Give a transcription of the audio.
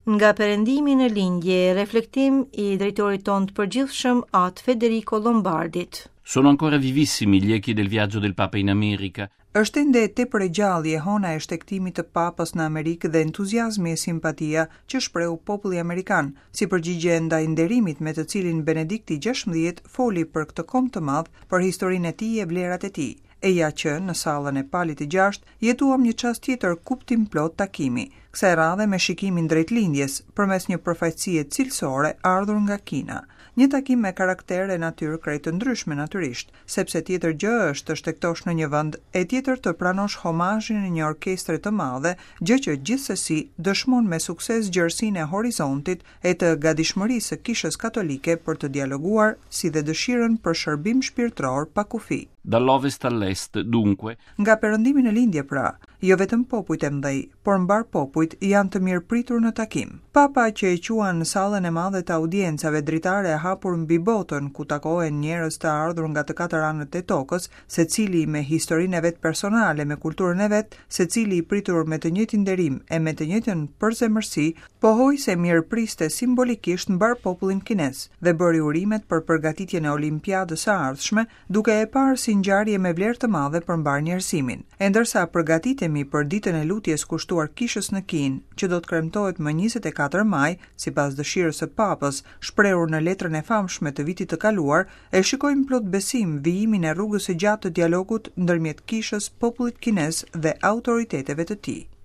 Nga perëndimi në lindje, reflektim i drejtorit tonë të përgjithshëm At Federico Lombardit. Sono ancora vivissimi gli echi del viaggio del Papa in America. Është ende tepër e gjallë jehona e shtegtimit të Papës në Amerikë dhe entuziazmi e simpatia që shprehu populli amerikan, si përgjigje ndaj nderimit me të cilin Benedikti XVI foli për këtë komb të madh, për historinë e tij e vlerat e tij. E ja që, në sallën e Palit të Gjashtë, jetuam një çast tjetër kuptimplotë takimi, kësaj radhe me shikimin drejt lindjes, përmes një përfaqësie cilësore ardhur nga Kina. Një takim me karakter e natyrë krejt të ndryshme natyrisht, sepse tjetër gjë është të shtegtosh në një vend, e tjetër të pranosh homazhin e një orkestre të madhe, gjë që gjithsesi dëshmon me sukses gjerësinë e horizontit e të gatishmërisë së Kishës Katolike për të dialoguar si dhe dëshirën për shërbim shpirtëror pa kufi. Dall'ovest all'est, dunque. Nga perëndimi në lindje, pra, jo vetëm popujt e mëdhenj, por mbarë popujt janë të mirëpritur në takim. Papa që e quan sallën e madhe të audiencave dritare e hapur mbi botën, ku takohen njerëz të ardhur nga të katër anët e tokës, secili me historinë e vet personale, me kulturën e vet, secili i pritur me të njëjtin nderim e me të njëjtën përzemërsi, pohoi se mirëpriste simbolikisht mbarë popullin kinez dhe bëri urimet për përgatitjen e Olimpiadës së ardhshme, duke e parë si ngjarje me vlerë të madhe për mbarë njerëzimin. E ndërsa përgatitemi për ditën e lutjes kushtuar Kishës në Kinë, që do të kremtohet më 24 maj, sipas dëshirës së Papës, shprehur në letrën e famshme të vitit të kaluar, e shikojmë plot besim vijimin e rrugës së gjatë të dialogut ndërmjet Kishës, popullit kinez dhe autoriteteve të tij.